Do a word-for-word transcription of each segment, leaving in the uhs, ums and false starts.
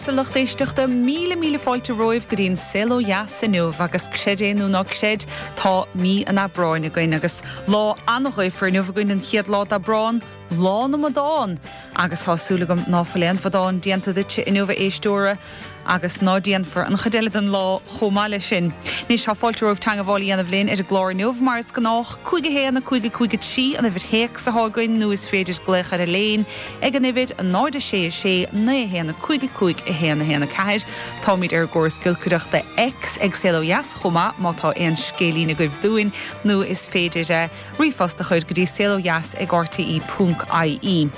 dheas, a lucht éisteachta, míle míle fáilte romhaibh go dtí an Saol Ó Dheas inniu agus creid é nó ná creid tá mí an Aibreáin againn agus lá an-ghaofar inniu againn an chéad lá d'Aibreán, Lá na mBodán agus tá súil agam ná fuil aon bhodán déanta duit inniu a éisteora agus ná déanfar an chuid eile den lá chomh maith leis sin. Anois tá fáilte romhaibh teagmháil a dhéanamh linn ar an gclár inniu mar is gnách cúig a haon a cúig a cúig a trí an uimhir théacs atá againn nó is féidir glaoch ar an líne ag an uimhir náid a sé a sé naoi a haon a cúig a cúig a haon a haon a ceathair. Táimid ar an gcóras giolcaireachta X ag Saol Ó Dheas chomh maith má tá aon scéilín agaibh dúinn nó is féidir ríomhphost a chur go dtí saolodheas ag rte ponc ie.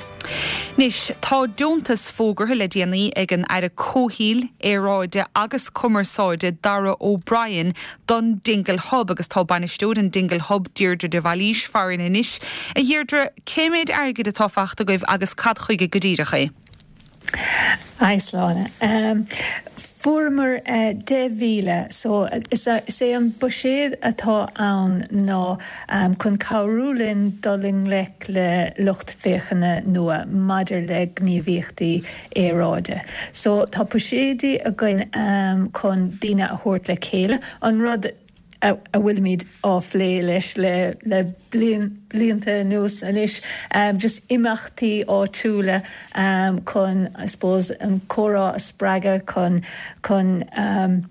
Anois, tá deontas fógartha le déanaí ag an Aire Comhshaoil, Aeráide agus Cumarsáide Darragh O'Brien don Dingle Hub agus tá bainisteoir an Dingle Hub Deirdre de Bhailís farainn anois. A Dheirdre, cé méid airgid atá faighte agaibh agus cad chuige go díreach é? Hi Sláine. Um, Fuaireamar uh, deich mhíle so is, is é an buiséad atá ann ná um, chun cabhrú linn dul i ngleic le lucht féachana nua maidir le gníomhaíochtaí aeráide. So tá buiséidí againn um, chun daoine a thabhairt le chéile an rud a bhfuilimid á phlé leis le le bliain blianta anuas anois um, just imeachtaí áitiúla um, chun I suppose an comhrá a spreagadh chun chun um,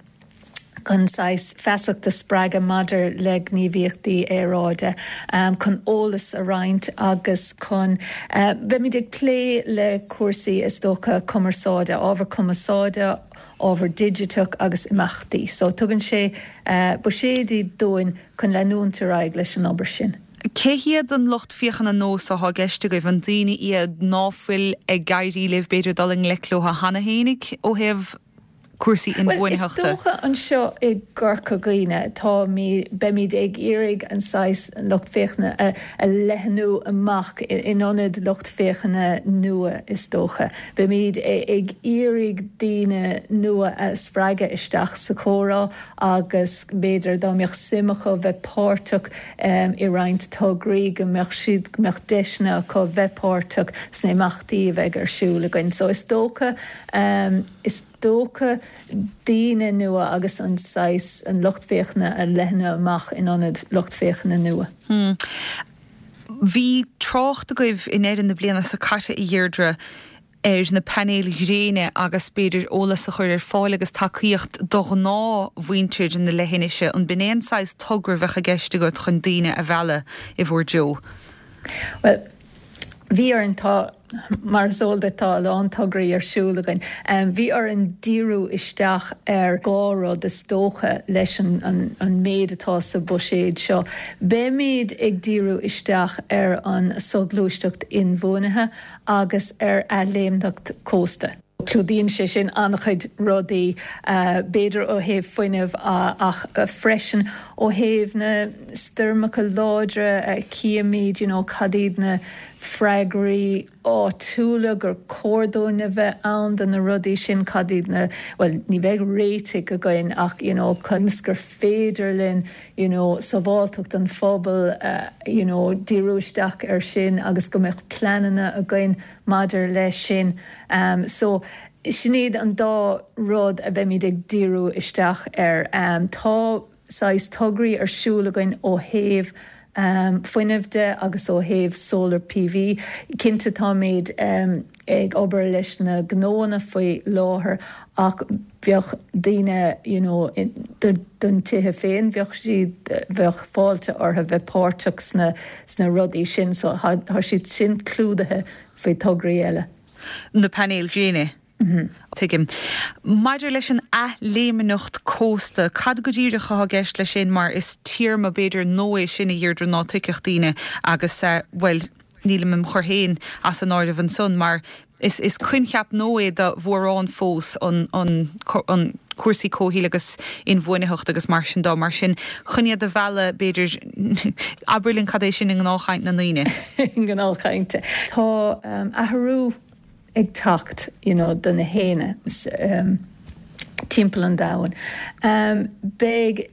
chun saghas feasacht a spreagadh maidir le gníomhaíochtaí aeráide um, chun eolas a roinnt agus chun uh, beimid ag plé le cúrsaí is dócha cumarsáide, ábhar cumarsáide, ábhar digiteach agus imeachtaí. So tugann sé uh, buiséidí dúinn chun leanúint ar aghaidh leis an obair sin. Cé hiad an lucht féachana nua atá i gceist agaibh an daoine iad ná fuil ag éirí libh b'fhéidir dul i ngleic leo cheana fhéinig ó thaobh cúrsaí inbhuanaitheachta. Is dócha anseo i gCorca Dhuibhne tá beimid ag iarraidh an saghas an lucht féachana a, a leathnú amach in ionad lucht féachana nua is dócha. Beimid ag iarraidh daoine nua a spreagadh isteach sa chomhrá agus b'fhéidir dá mbeadh suim acu bheith páirteach um, i roinnt tograí go mbeadh siad go mbeadh deiseanna acu bheith páirteach sna himeachtaí a bheidh ar siúl againn. So is dócha um, is dócha daoine nua agus an saghas an lucht féachana a leathnú amach in ionad lucht féachana nua. Hmm. Bhí trácht agaibh in éirinn na bliana seo caite a Dheirdre ar na painéil ghréine agus b'fhéidir eolas a chur ar fáil agus tacaíocht do ghnáthmhuintir na leithinise an b'in é an saghas togra a bheadh i gceist agat chun daoine a mhealladh i bhur dtreo. Well, bhí ar an tá mar is eol duit tá a lán tograí ar siúl againn. Um, bhí orainn díriú isteach ar dhá rud is dócha leis an, an, an méid atá sa buiséad seo. Beimid ag díriú isteach ar an soghluaisteacht inbhuanaithe agus ar athléimneacht cósta. Clúdaíonn sé sin an-chuid rudaí uh, b'fhéidir ó thaobh fuinnimh uh, ach uh, freisin ó thaobh na stoirmeacha láidre uh, címid you know, cad iad na freagraí áitiúla gur chóir dúinn a bheith ann do na rudaí sin cad iad na well ní bheidh réitigh againn ach you know, conas gur féidir linn you know, sábháilteacht an phobail uh, you know, díriú isteach ar sin agus go mbeadh pleananna againn maidir leis sin. Um, so sin iad an dá rud a bheimid ag díriú isteach ar. Um, tá saghas tograí ar siúl againn ó thaobh um, fuinnimh de agus ó thaobh solar PV. Cinnte táimid um, ag obair leis na gnóanna faoi láthair ach bheadh daoine you know, don tithe féin bheadh siad bheadh fáilte orthu bheith páirteach sna, sna rudaí sin so tá siad sin clúdaithe faoi tograí eile. Na painéil ghréine. Mm-hmm. Tuigim. Maidir leis an athléimneacht cósta, cad go díreach atá i gceist leis sin mar is téarma b'fhéidir nua é sin a Dheirdre ná tuigfeadh daoine agus uh, well nílim im chur féin as an áireamh ansan mar is is coincheap nua é do mhórán fós an, an, an cúrsaí comhshaoil agus inbhuanaitheacht agus mar sin dá mar sin chun iad a mhealladh b'fhéidir abair linn cad é sin i ngnáthchaint na ndaoine. Gnáthchainte. Tá um, athrú ag teacht you know, do na héin um, timpeall an domhain. Um, Beidh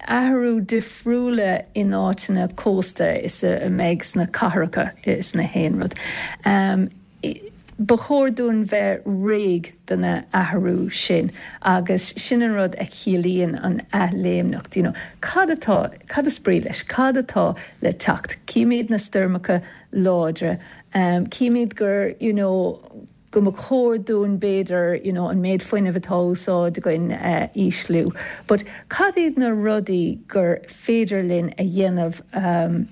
athrú difriúla in áiteanna cósta is a mbeidh sna cathracha is na haon rud. Um, Ba chóir dúinn bheith réidh do na athrú sin agus sin an rud a chiallaíonn an athléimneacht. You know, cad atá cad is brí leis, cad atá le teacht, Címid na stoirmeacha láidre, um, címid gur you know, go mba chóir dúinn b'fhéidir you know, an méid fuinnimh atá úsáid againn uh, ísliú. But cad iad na rudaí gur féidir linn a dhéanamh um,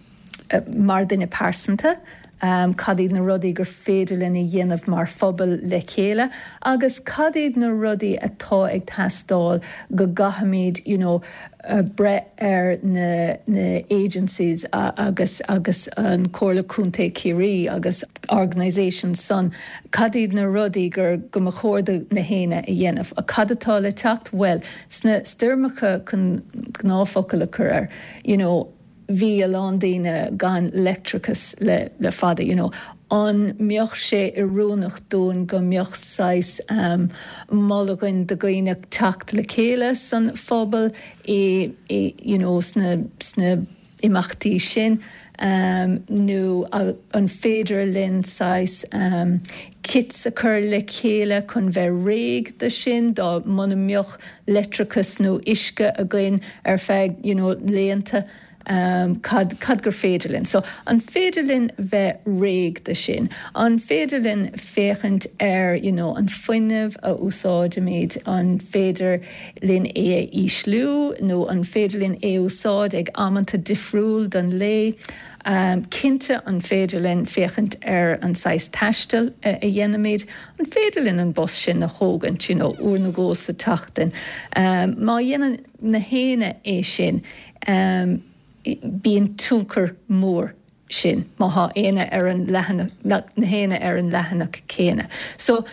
uh, mar duine pearsanta, um, cad iad na rudaí gur féidir linn a dhéanamh mar phobal le chéile, agus cad iad na rudaí atá ag teastáil go gcaithfimid you know, uh, breith ar na, na agencies uh, agus agus an Comhairle Contae Chiarraí agus organisations san cad iad na rudaí gur go mba chóir do na héinne a dhéanamh. A cad atá le teacht well sna stoirmeacha chun gnáthfhocal a chur air, you know, bhí a lán daoine gan leictreachas le, le fada, you know. An mbeadh sé oiriúnach dúinn go mbeadh saghas um, moladh againn do dhaoine teacht le chéile san phobal i, i you know, sna, sna imeachtaí sin. Um, nó an féidir linn saghas um, kits a chur le chéile chun bheith réidh do sin dá muna mbeadh leictreachas nó uisce againn ar feadh you know, laethanta. Um, cad, cad gur féidir linn. So an féidir linn bheith réidh do sin. An féidir linn féachaint ar you know, an fuinneamh a úsáidimid an féidir linn é a ísliú nó an féidir linn é úsáid ag amanta difriúil den lae. Um, cinnte an féidir linn féachaint ar an saghas taistil a, a dhéanaimid, an féidir linn an bus sin a thógaint you know, uair nó dhó sa tseachtain. Um, má dhéanann na héinne é sin, um, bíonn tionchar mór sin má tá éinne ar an leathanach na héinne ar an leathanach céanna. So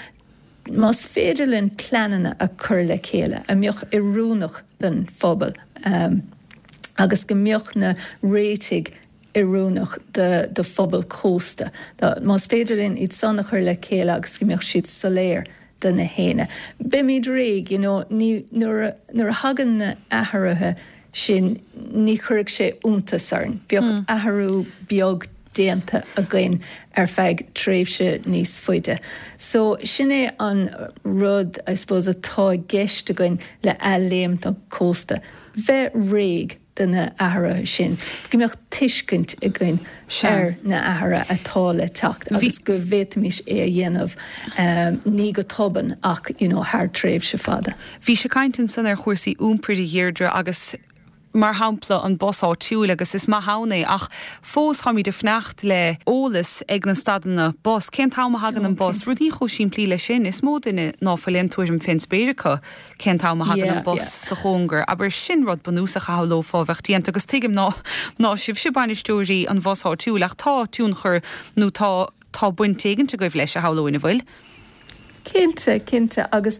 más féidir linn pleananna a chur le chéile a mbeadh oiriúnach don phobal um, agus go mbeadh na réitigh oiriúnach do, do phobal cósta. Más féidir linn iad san a chur le chéile agus go mbeadh siad soiléir do na héinne. Beimid réidh you know, ní nuair a thagann na athruithe sin ní chuirfidh sé iontas orainn. Bheadh mm. athrú beag déanta againn ar feadh tréimhse níos faide. So sin é an rud I suppose atá i gceist againn le athléimneacht cósta. Bheith réidh do na athruithe sin. Go mbeadh tuiscint againn ar na athruithe atá le teacht agus go bhféadfaimis é a dhéanamh um, ní go tobann ach you know, thar tréimhse fada. Bhí sé caint ansan ar chúrsaí iompair a Dheirdre agus mar shampla an bus áitiúil agus is maith ann é ach fós táimid ag fanacht le eolas ag na stadanna bus cén t-am a thagann an bus rudaí chomh simplí le sin is mó duine ná fuil aon tuairim fén spéir acu cén t-am a thagann an bus sa chóngar aber sin rud bunúsach a shamhlófá bheith déanta agus tuigim ná ná sibhse bainisteoirí an bhus áitiúil ach tá tionchar nó tá tá baint éigin agaibh leis a shamhlóinn an bhfuil. Cinnte cinnte agus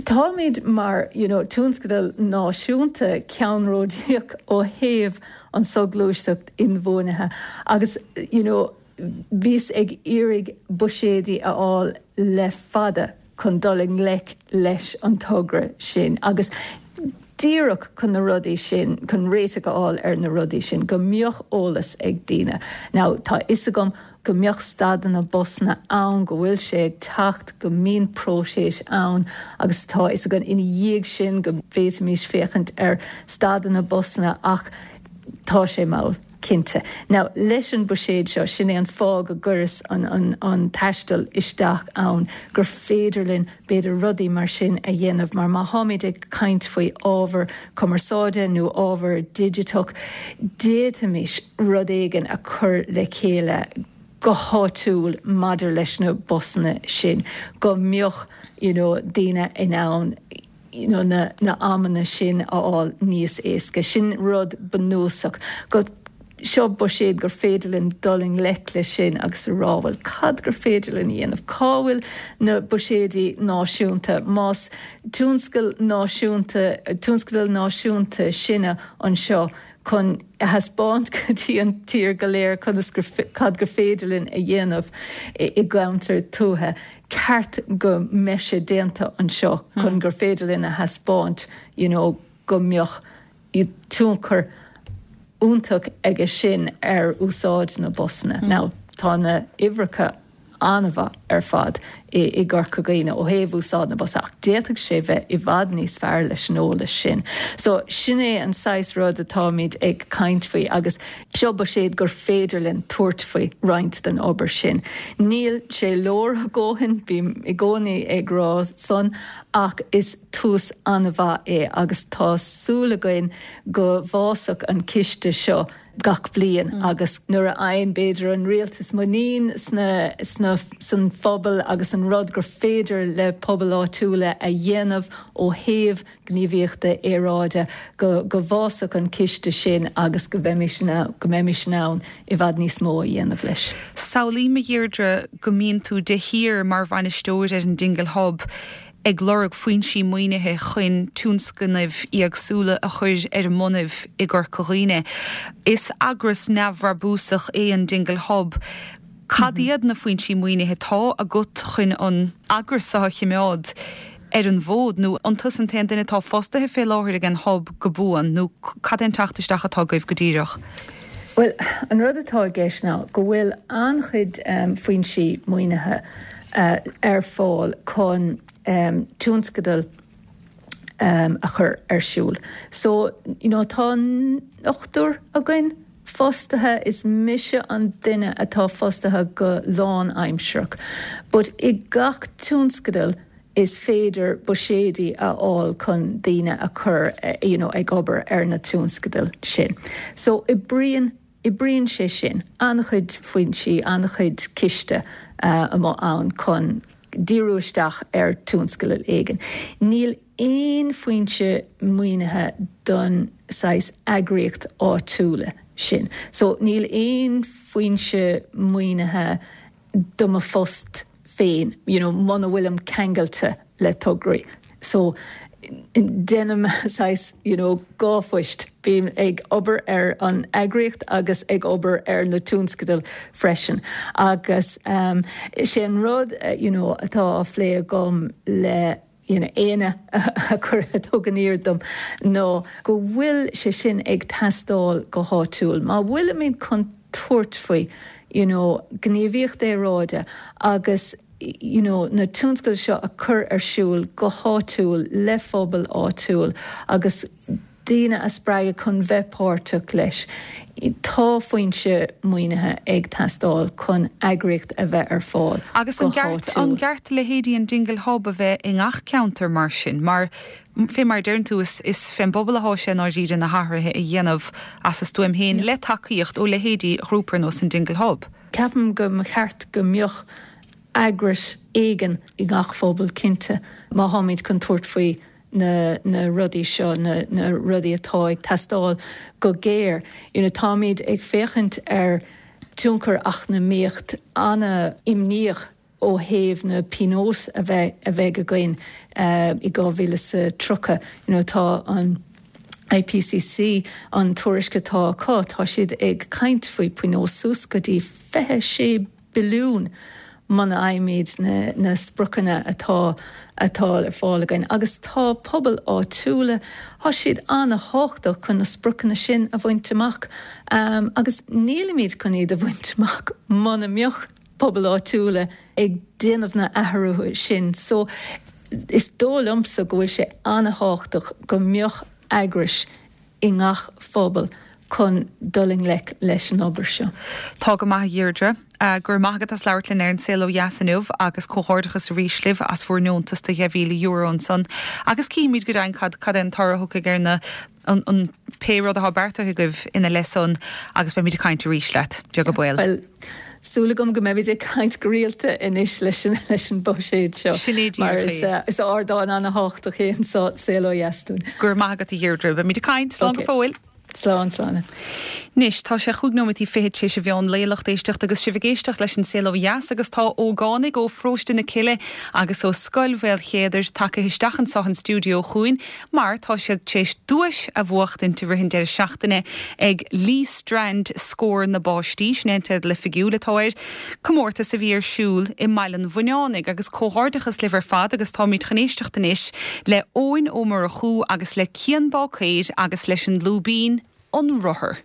táimid mar you know, tionscadal náisiúnta ceannródaíoch ó thaobh an soghluaisteacht inbhuanaithe agus you know, bhíos ag iarraidh buiséidí a fháil le fada chun dul i ngleic leis an togra sin agus díreach chun na rudaí sin chun réiteach a fháil ar na rudaí sin go mbeadh eolas ag daoine. Now tá fhios agam go mbeadh stadanna busanna ann go bhfuil sé ag teacht go mbíonn próiseas ann agus tá fhios againn ina dhiaidh sin go bhféadfaimis féachaint ar stadanna busanna ach tá sé mall cinnte. Now leis an buiséad seo sin é an fáth go gcuireas an, an, an taisteal isteach ann gur féidir linn b'fhéidir rudaí mar sin a dhéanamh mar má tháimid ag caint faoi ábhar cumarsáide nó ábhar digiteach, d'fhéadfaimis rud éigin a chur le chéile go háitiúil maidir leis na busanna sin go mbeadh you know, daoine in ann you know, na, na amanna sin a fháil níos éasca sin rud bunúsach go seo buiséad gur féidir linn dul i ngleic leis sin agus a rá bhuel cad gur féidir linn dhéanamh cá bhfuil na buiséidí náisiúnta más tionscal náisiúnta tionscadal náisiúnta sinne anseo chun a thaispeáint go dtí an tír go léir conas cad gur féidir linn a dhéanamh i gceantar tuaithe ceart go mbeidh sé déanta anseo chun gur féidir linn a thaispeáint you know, go mbeadh tionchar iontach aige sin ar úsáid na busanna. Mm. Now tá na uimhreacha an-mhaith ar fad i, i gCorca Dhuibhne ó thaobh úsáid na bus ach d'fhéadfadh sé bheith i bhfad níos fearr leis an eolas sin. So sin é an saghas rud atáimid ag caint faoi agus seo buiséad gur féidir linn tabhairt faoi roinnt den obair sin. Níl sé leordhóthanach bím i gcónaí ag rá san ach is tús an-mhaith é agus tá súil againn go bhfásfaidh an ciste seo gach bliain mm. agus nuair a fhaigheann b'fhéidir an rialtas muinín sna, sna, san phobal agus an rud gur féidir le pobal áitiúla a dhéanamh ó thaobh gníomhaíochta aeráide go, go bhfásfaidh an ciste sin agus go mbeimid go mbeimid in ann i bhfad níos mó a dhéanamh leis. Samhlaím a Dheirdre go mbíonn tú de shíor mar bhainisteoir ar an Dingle Hub ag lorg foinsí maoinithe chun tionscnaimh éagsúla a chur ar an mbonnaibh i gCorca Dhuibhne. Is eagras neamhbhrabúsach é an Dingle Hub. Cad iad na foinsí maoinithe atá agat chun an eagras a choimeád ar an bhfód nó an tusa an t-aon duine atá fostaithe fé láthair ag an hub go buan nó cad é an teacht isteach atá agaibh go díreach. Well, an rud atá i gceist ná go bhfuil an-chuid um, foinsí maoinithe uh, ar fáil chun um, tionscadal um, a chur ar siúl. So you know, tá ochtar againn fostaithe is mise an duine atá fostaithe go lánaimsearach. But i gach tionscadal is féidir buiséidí a fháil chun daoine a chur eh, you know, ag obair ar na tionscadail sin. So oibríonn oibríonn sé sin an-chuid foinsí an-chuid ciste uh, amuigh ann chun díriú isteach ar tionscadal éigin. Níl aon foinse maoinithe don saghas eagraíocht áitiúla sin. So níl aon foinse maoinithe do mo phost féin, you know, muna bhfuilim ceangailte le tograí. So déanaim saghas you know, dhá phost bím ag obair ar an eagraíocht agus ag obair ar na tionscadail freisin. Agus um, sé an rud uh, you know, atá á phlé agam le you know, éinne a chur a thugann aird dom nó go bhfuil sé sin ag teastáil go háitiúil. Má bhfuilimid chun tabhairt faoi you know, gníomhaíocht aeráide agus you know, na tionscadail seo a chur ar siúl go háitiúil le phobal áitiúil agus daoine a spreagadh chun bheith páirteach leis. Tá foinse maoinithe ag teastáil chun eagraíocht a bheith ar fáil. Agus an gceart an gceart leithéidí an Dingle Hub a bheith i ngach ceantar mar sin, mar fé mar deireann tú is, is fén bpobal atá sé dáiríre na hathruithe a dhéanamh as a stuaim féin le tacaíocht ó leithéidí ghrúpa ar nós an Dingle Hub. Ceapaim go mba cheart go mbeadh eagras éigin i ngach phobal cinnte má tháimid chun tabhairt faoi na, na rudaí seo na, na rudaí atá ag teastáil go géar. You know, táimid ag féachaint ar tionchar eacnamaíocht an-imníoch ó thaobh na pionóis a bheith a bheith againn uh, i dhá mhíle sa tríocha you know, tá an IPCC an tuairisc atá acu tá siad ag caint faoi pionós suas go dtí fiche sé billiún muna bhfaighimid na, na spriocanna atá atá ar fáil againn. agus tá pobal áitiúla tá siad an-tábhachtach chun na spriocanna sin a bhaint amach um, agus nílimid chun iad a bhaint amach muna mbeadh pobal áitiúla ag déanamh na hathruithe sin. So is dóigh liomsa go bhfuil sé an-tábhachtach go mbeadh eagrais i ngach phobal chun dul i ngleic leis an obair seo. Tá go maith Dheirdre, uh, gur maigad as leabhart linn ar an Saol Ó Dheas inniu agus comhghairdeachas arís libh as bhur ndeontas de dheich mhíle euro ansan. Agus címid go deimhin cad cad an toradh ar na an, an pé rud atá beartaithe agaibh ina leith san agus beimid ag caint arís leat beag beann. Well, Súil agam go mbeimid ag caint go rialta anois leis an leis an buiséad seo. Mar is, uh, is ardán an-tábhachtach é an Saol Ó Dheas dúinn. Gur maith agat a Dheirdre, beimid ag caint slán go fóill. Slán slán. Anois tá sé chúig nóiméad fichead tar éis an mheán lae lucht éisteachta agus sibh ag éisteacht leis an Saol Ó Dheas agus tá ógánaigh ó Pharóiste na Cille agus ó Scoil Mhaoilchéadair tagtha isteach anseo an stiúideo chugainn mar tá siad tar éis duais a bhuachtaint i rith an deireadh seachtaine ag Lee Strand Scór na bPáistí sin an teideal oifigiúil atá air comórtas a bhí ar siúl i mBaile an Bhuinneánaigh agus comhghairdeachas libh ar fad agus táimid chun éisteacht anois le Eoin Ó Murchú agus le Cian Bácaeir agus leis an Lúibín an Rothar.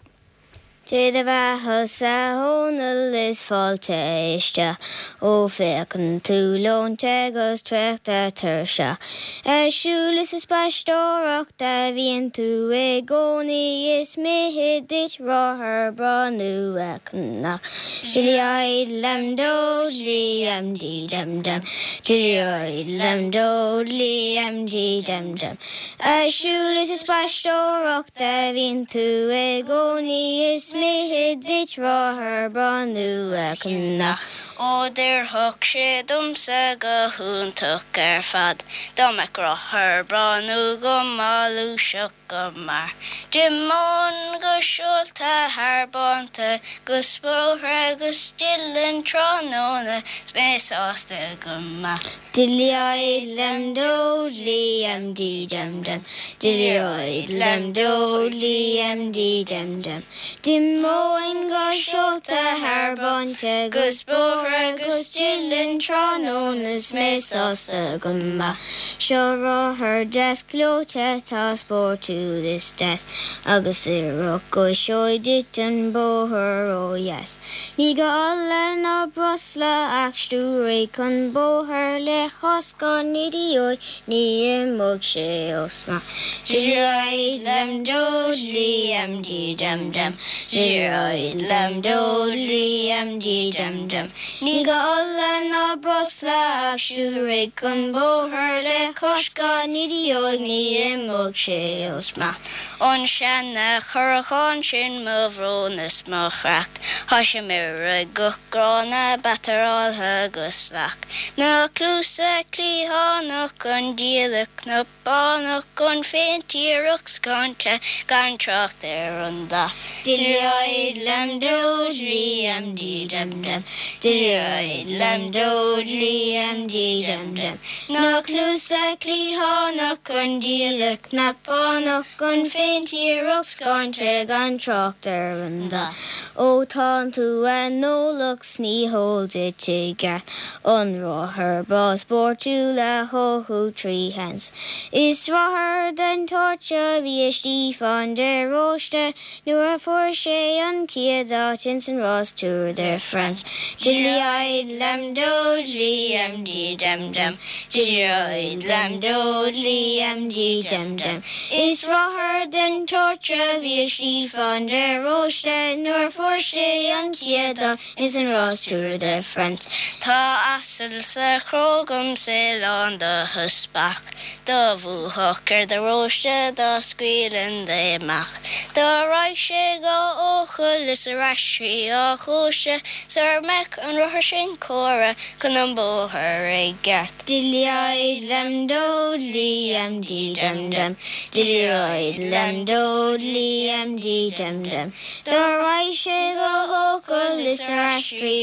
Dé do bheatha-sa a Dhónaill is fáilte isteach ó féachann tú leonta agus traochta tuirseach. Ar siúl is ag spaisteoireacht a bhíonn tú i gcónaí is mithid duit rothar breá nua a cheannach. Dilly dum dodly um dee dum dum Dilly dum dodly um dee dum dum Ar siúl is ag spaisteoireacht a bhíonn tú i gcónaí is mithid duit rothar breá nua a cheannach. Ó d'oirfeadh sé domsa go hiontach ar fad, dá mbeadh rothar breá nua agam á ghluaiseacht go mear. D'imeoinn go seolta thar bánta 'gus bóithre 'gus dillinn tráthnóna 's mé sásta go maith. Dilly dum dodly um dee dum dum Dilly dum dodly um dee dum dum D'imeoinn go seolta thar bánta 'gus bóithre 'gus dillinn tráthnóna 's mé sásta go maith. Seo rothar deas gleoite tá spórtúil is deas agus oirfidh go seoigh duit an bóthar ó dheas. Ní gá ola ná breosla ach stiúraigh chun bóthair le coscán idióid ní imeoidh sé ó smacht. Dilly dum dodly um dee dum dum Dilly dum dodly um dee dum dum Ní gá ola ná breosla ach stiúraigh chun bóthair le coscán idióid ní imeoidh sé ó smacht. An seana-churachán sin mo bhrón is mo chreach, Tá sé meidhreach go gránna bataireáilte go salach. Na cluasa cliathánach an diallait cnapánach an phéint iarrach scáinte gan trácht ar an dath. Dilly dum dodly um dee dum dum Dilly dum dodly um dee dum dum Na cluasa cliathánach an diallait cnapánach an phéint iarrach scáinte gan trácht ar an dath. Ó tánn tú aineolach 's ní heol duit i gceart an rothar breá spórtúil a thoghadh trí sheans. Is rothar den tsórt seo a bhí ag Stiofán de Róiste nuair a fuair sé an chéad áit ins an rás Tour de France. Dilly dum dodly um dee dum dum Dilly dum dodly um dee dum dum Is rothar den tsórt seo a bhí ag Stiofán de Róiste nuair a fuair sé an chéad áit ins an rás Tour de France. Tá asal sa chró agam 's é lán de theaspach, Dá bhuafadh ar de Róiste dá scaoilfinn de amach. Dá raghadh sé go Eochaill is ar ais trí chóiste sara mbeadh an rothar sin cóirithe chun an bhóthair i gceart. Dilly dum dodly um dee dum dum Dilly dum dodly um dee dum dum Dá raghadh sé go hEochaill is ar ais trí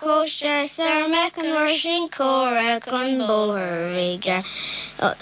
chóiste sara mbeadh an rothar sin cóirithe chun bóthair i gceart.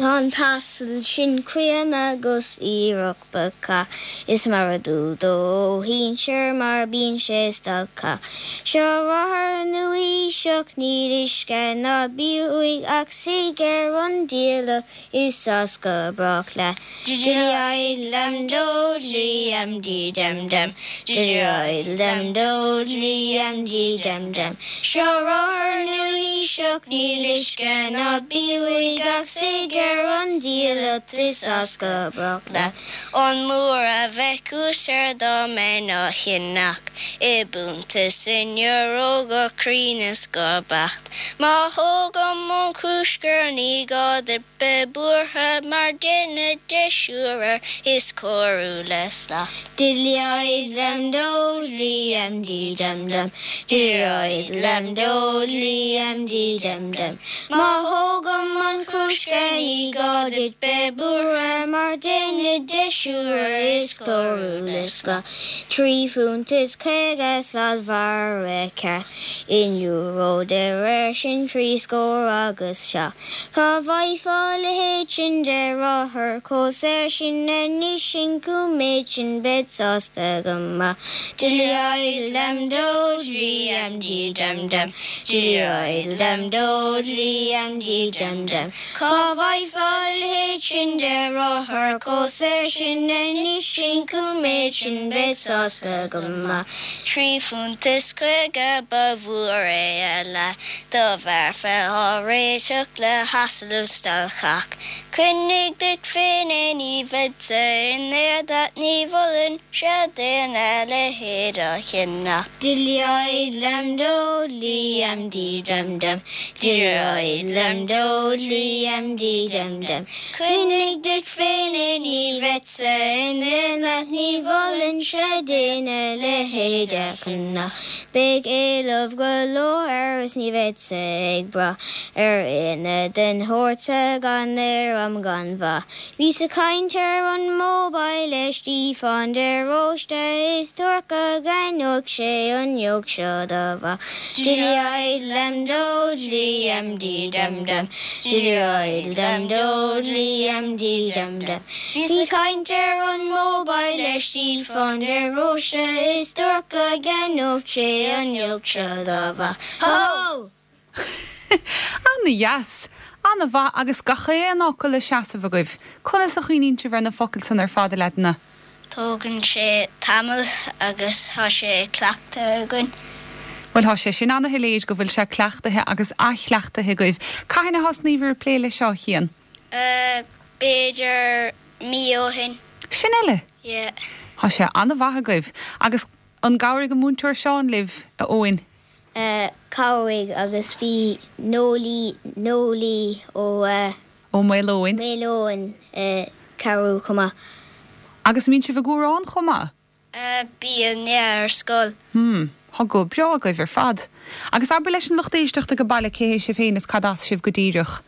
An t-asal sin críonna agus aerach bacach is mar is dual dó ó shinsir mar bíonn sé stalcach. Seo rothar nua-aoiseach níl uisce ná bia uaidh ach suigh ar an diallait is as go brách leat. Dilly dum dodly um dee dum dum Dilly dum dodly um dee dum dum Seo rothar nua-aoiseach níl uisce ná bia uaidh ach suigh ar an diallait is as go brách leat. An mór a bheadh ús air dá mbeinn á cheannach i bpunt is in euro go cruinn is go beacht. Má thógaim an crúscar ní gá duit bheith buartha mar déanfaidh deisiú air is cóiriú le slacht. Dilly dum dodly um dee dum dum Dilly dum dodly um dee dum dum Má thógaim an crúscar ní gá duit bheith buartha mar déanfaidh deisiú air is cóiriú le slacht. Trí phunt is caoga sladmhargadh ceart in euro de réir sin trí scór agus seacht. Cá bhfaighfeá a leithéid sin de rothar chomh saor sin anois an cóiméad sin bead sásta go maith. Dilly dum Liam dí dum dum Dí lem do Liam dí dum dum Cá bhfaighfeá a leithéid sin de rothar chomh saor sin anois sin cúig sin bead sásta go maith. Trí phunt is caoga ba mhór é a leath dá bhfearfa á réiteach le hasal stailceach. Coinnigh duit féin é ní bheadsa in aon leat ní mholfainnse d'aon a leithéid a cheannach. Dileoid lem do Liam dí dum dum Dileoid lem do Liam dí dum dum Coinnigh duit féin é ní bheadsa in aon leat ní mholfainnse d'aon a leithéid a cheannach. Beidh éileamh go leor air is ní bheadsa ag brath ar éinne den shórt sa gan ar am gan mhaith. Bhíos ag caint ar an mobile le Stiofán de Róiste is dúirt go gceannódh sé an jóc seo dá mhaith. Dileoid lem do Liam dí dum dum Dileoid lem do Liam dí dum dum. Bhíos ag caint ar an mobile le Stiofán de Róiste is dúirt go gceannódh sé an jóc seo dá mhaith. Ho! Ana-dheas, ana-mhaith agus gach aon fhocal le seasamh agaibh. Conas a chuimhníonn sibh ar na focail san ar fad a leaideanna? Tógann sé tamall agus tá sé cleachtaithe againn. Bhuel tá sé sin ana-shoiléir go bhfuil sé cleachtaithe agus athchleachtaithe agaibh. Cathain a thosnaíobhair ag plé leis seo a Chian? Uh, b'fhéidir mí ó shin. Sin uile? Yeah. Tá sé ana-mhaith agaibh. Agus an gcabhraigh an múinteoir Seán libh, a Eoin? Uh, chabhraigh agus bhí Nolí Nolí ó uh, Ó Maoileoin. Maoileoin uh, cabhrú chomh maith. Agus mbíonn sibh ag amhrán chomh maith? Uh, bíonn yeah, ar scoil. Hmm, Tá go breá agaibh ar fad. Agus abair leis an lucht éisteachta ag baile cé hé sibh féin is cad as sibh go díreach.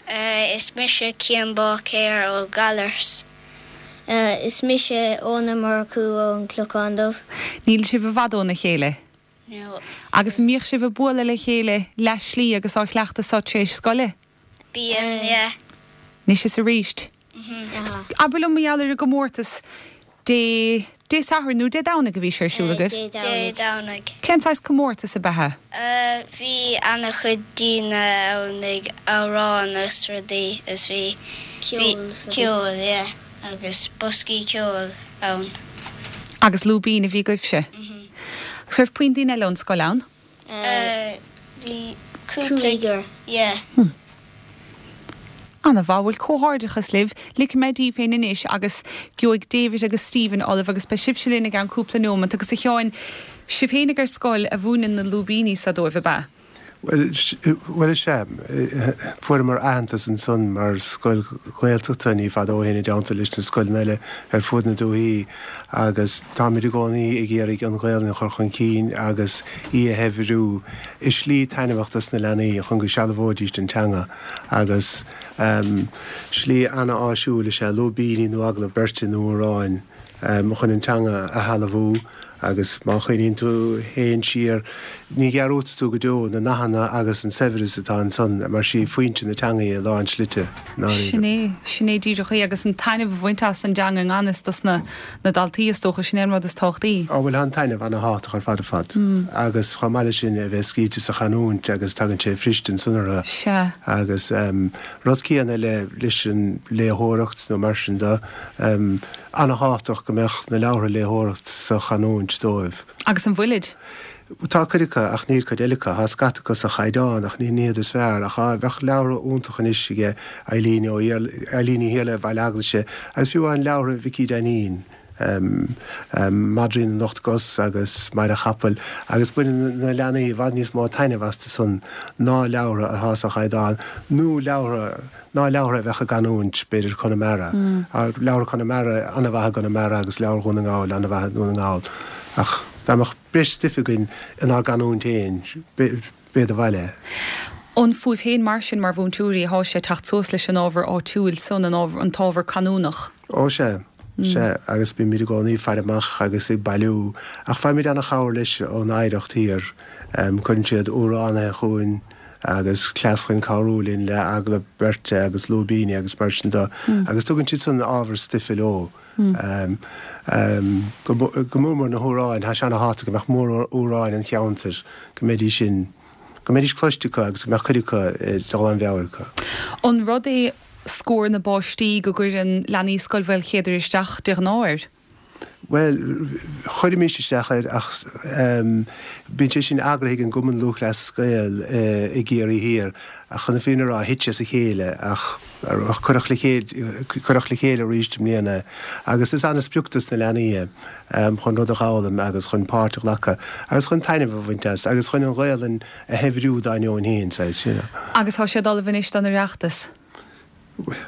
Uh, is mise Cian Báicéir ó Gallaras. Uh, is mise Óna Murchú ón Clochán Dubh. Níl sibh i bhfad óna chéile. No. Agus mbíodh sibh ag bualadh le chéile le slí agus á chleachtadh sa tréis scoile. Bíonn, yeah. Anois is arís. Abair liom mar gheall ar an gcomórtas Dé Dé Sathairn nó Dé Domhnaigh a bhí sé ar siúl agaibh? Dé Dé Domhnaigh. Domhnaigh. Cén saghas comórtas ab ea? Uh, bhí ana-chuid daoine ann ag amhrán agus rudaí is bhí Ceol is rudaí. ceol, yeah, agus boscaí ceoil ann. Agus lúibín a bhí agaibhse. Agus raibh puinn daoine eile ón scoil ann? Uh, bhí cúpla Cúigear. yeah. Ana-mhaith bhuel comhghairdeachas libh, ligfidh mé daoibh féin anois agus gheobhaidh David agus Stephen oraibh agus beidh sibhse linn i gceann cúpla nóiméad agus a Sheáin sibh féinig ar scoil a mhúineann na lúibíní seo dóibh ab ea. Well, well is ea, fuaireamar aitheantas ansan mar scoil Ghaeltachta ní fada ó shin i dteannta leis na scoileanna eile ar fud na dúichí agus táimid i gcónaí ag iarraidh an Ghaelainn a chur chun cinn agus í a shaibhriú i slí taitneamhach dos na leanaí chun go sealbhóidís an teanga agus um, slí ana-áisiúil is ea lúibíní nó agallamh beirte nó amhráin um, chun an teanga a shealbhú agus má chuimhníonn tú féin siar ní dhearúdfaidh tú go deo na nathanna agus an saibhreas atá ansan mar sí foinse na teanga i lán slite. Sin é sin é díreach é agus an taitneamh a bhaint as an dteanga i ngan fhios dos na na daltaí is dócha sin é an rud is tábhachtaí. Á bhfuil an taitneamh ana-thábhachtach ar fad ar fad. Agus chomh maith leis sin a bheith scaoilte sa chanúint agus tagann sé fríd ansan orthu. Sea. Agus um, rud céanna le leis an léitheoireacht nó mar sin de um, ana-thábhachtach go mbeadh na leabhartha léitheoireacht sa chanúint dóibh. Agus an bhfuilid? Tá cuid acu ach níl cuid eile acu, tá scata acu sa chaighdeán ach ní iad is fearr ach bheadh leabhar iontach anois aige Eileen ó Eileen Ní Iarla Bhaile Eaglaise agus fiú an leabhar Mhicí Dainín. Um, um, Madraí na nOcht gCos agus Máire Chapaill agus baineann na leanaí i bhfad níos mó taitneamh astu san ná leabhar atá sa chaighdeán nó leabhar ná leabhar a bheadh i gcanúint b'fhéidir Conamara. Mm. Leabhar Conamara ana-mhaith i gConamara agus leabhar Dhún na nGall ana-mhaith i nDún na nGall. Ach dá mbeadh breis stuif againn inár gcanúint féin b'é do bhaile. An fúibh féin mar sin mar mhúinteoirí atá sé teacht suas leis an ábhar áitiúil san an ábhar an t-ábhar canúnach. Ó sé. Sé agus bímid i gcónaí ag faire amach agus ag bailiú ach faighimid ana-chabhair leis ón Oidhreacht thiar. Um, Cuireann siad amhránaithe chugainn agus cleas chun cabhrú linn le agallamh beirte agus lúibíní agus mar sin de agus tugann siad san ábhar stuife leo. Um, um, go go mór mór na hamhráin, tá sé an-tábhachtach go mbeadh móramhráin an cheantair go mbeidís sin go mbeidís cloiste acu agus go mbeadh cuid acu dul i bhfeabhar acu. An rud é scór na bpáistí go gcuireann leanaí Scoil Mhaoilchéadair isteach de ghnáth air? Well, chuirimis isteach air ach um, bíonn sé sin eagraithe ag an gCumann Lúthchleas Gael uh, i gCiarraí Thiar ach chun na fírinne a rá thit sé as a chéile ach ach cuireadh le chéile cuireadh le chéile arís i mbliana agus is an-sprioc dos na leanaí um, chun rud a fhoghlaim agus chun páirt a ghlacadh agus chun taitneamh a bhaint as agus chun an Ghaelainn a shaibhriú dá ndeoin féin saghas, you know. Agus tá siad ullamh anois don Oireachtas.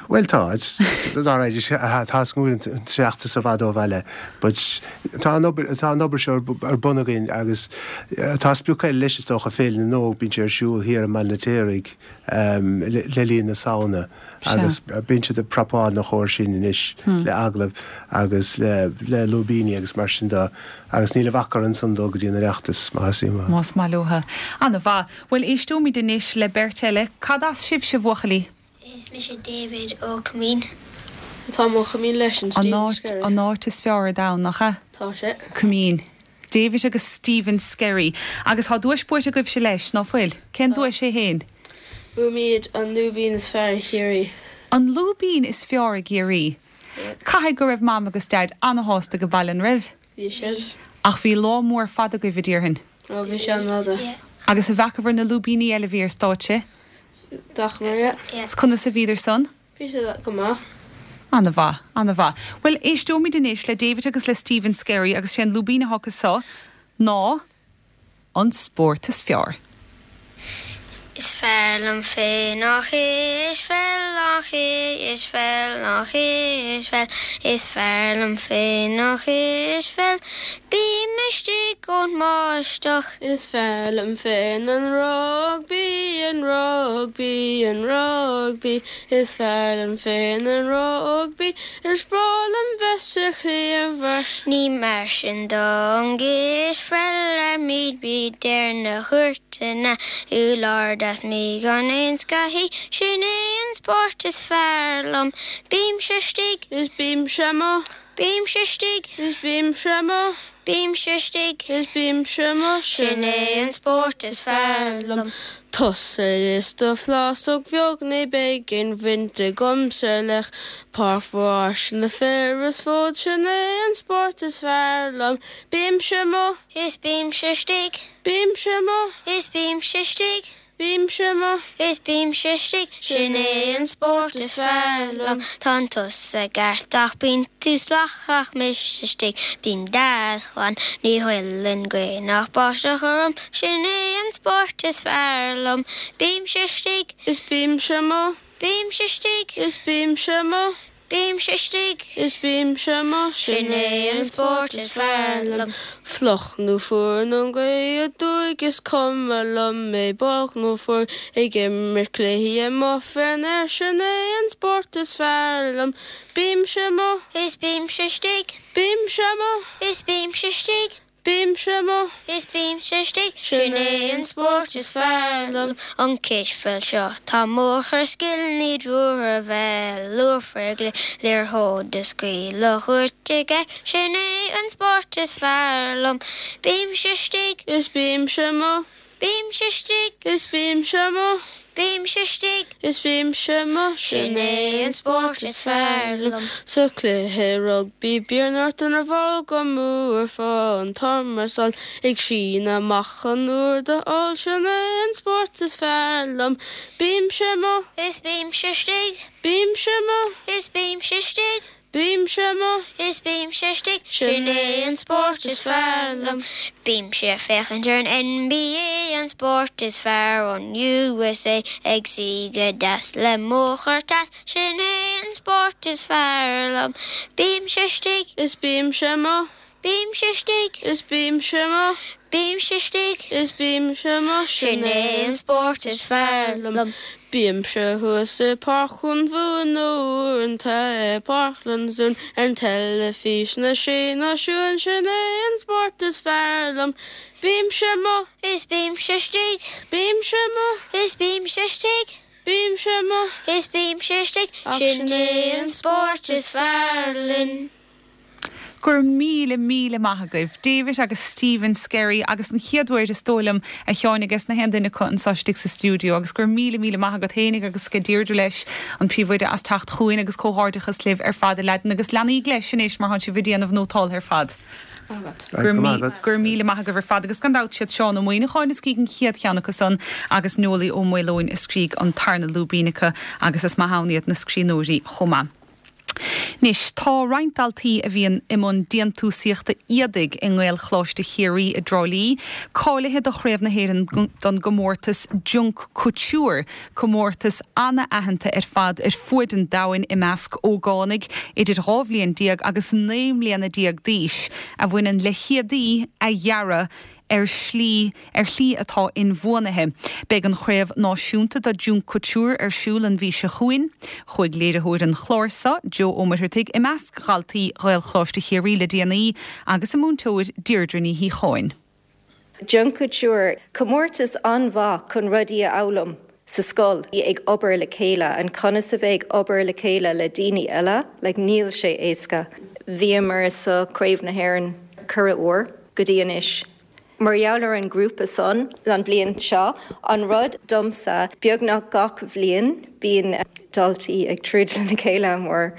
Well tá tá go seachta sa bhfad ó bhaile, but tá an obair tá an obair seo ar bun againn agus tá sprioc eile leis is dócha Féile na nÓg bíonn sé ar siúl thiar i mBaile an Fheirtéaraigh le linn na Samhna agus bíonn siad ag prapáil na chóir sin anois le agallamh agus le le lúibíní agus mar sin de agus níl a bhac orainn ansan dul go dtí an Oireachtas má is maith. Más maith leo. An-mhaith. Bhuel éisteoimid anois le beirt eile, cad as sibhse a bhuachaillí? Is mise David ó Coimín. Tá mo Coimín leis an An áit an áit is fearr ar domhan nach ea? Tá sé. Coimín. David agus Stephen Skerry. Agus tá duais buaite agaibhse leis, ná fuil? Cén duais é féin? Bhuaigh muid an lúibín is fearr i Chiarraí. An lúibín is fearr i gCiarraí. Caithfidh go raibh mam agus dad an-shásta ag baile an raibh? Bhí siad. Ach bhí lá mór fada agaibh a déarfainn. Ó bhí sé an-fhada. Agus an bhfacabhair na lúibíní eile a bhí ar stáitse? D'fhacamar, yeah. Is conas a bhíodar san? Bhí sé go maith. An-mhaith, an-mhaith. Well, éisteoimid anois le David agus le Stephen Skerry agus sé an lúibín atá acu seo ná an spórt is fearr. Is fearr liom féin an chispheil an chispheil an chispheil Is fearr liom féin an chispheil Bím istigh ón mbáisteach. Is fearr liom féin an rugbaí an rugbaí an rugbaí Is fearr liom féin an rugbaí Is breá liom bheith sa chliabhar. Ní mar sin don gcispheil ar míd ar na cúirteanna úlár das mí gan aon scathaí sin é an spórt is fearr liom. Bímse istigh Is bímse amuigh. Bímse istigh Is bímse amuigh. Bímse istigh Is bímse amuigh sin é an spórt is fearr liom. Tusa is do phlásóg bheag ní bheidh aon bhaint agamsa le páirc mhór na fir is fód sin é an spórt is fearr liom. Bímse amuigh. Is bímse istigh. Bímse amuigh. Is bímse istigh. Bímse amuigh. Is bímse istigh sin é an spórt is fearr liom. Tá tusa ceart ach bíonn tú salach mise istigh bím deas glan ní ghoilleann gaoth ná báisteach orm sin é an spórt is fearr liom. Bímse istigh Is bímse amuigh. Bímse istigh Is bímse amuigh. Bímse istigh Is bímse amuigh sin é an spórt is fearr liom. Fliuch nó fuar nó gaoth aduaidh is cuma liom é bog nó fuar ag imirt cluichí amuigh fén aer sin é an spórt is fearr liom. Bímse amuigh. Is bímse istigh. Bímse amuigh. Is bímse istigh. Bímse amuigh. Is bímse istigh sin é an spórt is fearr liom. An cispheil seo tá mórthar scil ní dúr a bheith luafregle liathróid a scaoileadh aige sin é an spórt is fearr liom. Bímse istigh Is bímse amuigh. Bímse istigh Is bímse amuigh. Bímse istigh Is bímse amuigh sin é an spórt is fearr liom. Sa chluiche rugbaí bíonn ort an bhall go mór fá an t-iomarsal ag síneadh amach an uair do fháil sin é an spórt is fearr liom. Bímse amuigh. Is bímse istigh. Bímse amuigh. Is bímse istigh. Bímse amuigh. Is bímse istigh sin é an spórt is fearr liom. Bímse ag féachaint ar an NBA an spórt is fearr ón USA ag suí go deas le mo chur-tas sin é an spórt is fearr liom. Bímse istigh Is bímse amuigh. Bímse istigh Is bímse amuigh. Bímse istigh Is bímse amuigh sin é an spórt is fearr liom. Bímse thuas i Páirc an Mhumhan nó uaireanta i Páirc Lansdún ar an teilifís na Sé Náisiún sin é an spórt is fearr liom. Bímse amuigh is bímse istigh, bímse amuigh is bímse istigh, bímse amuigh is bímse istigh, sin é an spórt is fearr linn. Go raibh míle míle maith agaibh, David agus Stephen Skerry agus an chéad uair is dóigh liom a Sheáin agus na haon duine acu anseo istigh sa stiúideo agus go raibh míle míle maith agat fhéinig agus go Deirdre leis an príomhoide as teacht chugainn agus comhghairdeachas libh ar fad a leaideanna agus leanaíg leis anois mar tá sibh ag déanamh nótáil ar fad. Go raibh míle maith agaibh ar fad agus gan dabht siad Seán Ó Muimhneacháin a scrígh an chéad cheann acu san agus Nollaí Ó Maoileoin a scrígh an tarna lúibín acu agus is maith ann iad na scríbhneoirí chomh maith. Anois tá roinnt daltaí a bhíonn i mbun déantúsaíochta éadaigh i nGaelcholáiste Chiarraí i dTrá Lí, cáilithe do Chraobh na hÉireann don gcomórtas Junk Kouture, comórtas an-aitheanta ar fad ar fuaid an domhain i measc ógánaigh idir dhá bhliain déag agus naoi mbliana déag d'aois, a bhaineann le héadaí a dhearadh ar shlí ar shlí atá inbhuanaithe. Beidh an chraobh náisiúnta do Junk Kouture ar siúl an mhí seo chugainn. Chuaigh léiritheoir an chláir seo, Joe Ó Muircheartaigh, i measc dhaltaí Ghaelcholáiste Chiarraí le déanaí agus a múinteoir Deirdre Ní Shíocháin. Junk Kouture, comórtas an-mhaith chun rudaí a fhoghlaim sa scoil ag obair le chéile an conas a bheith ag obair le chéile le daoine eile, like níl sé éasca. Bhíomar sa Craobh na hÉireann ceithre huair go dtí anois. Mar gheall ar an grúpa san an bliain seo an rud domsa beagnach gach bhliain bíonn daltaí ag troid lena chéile mar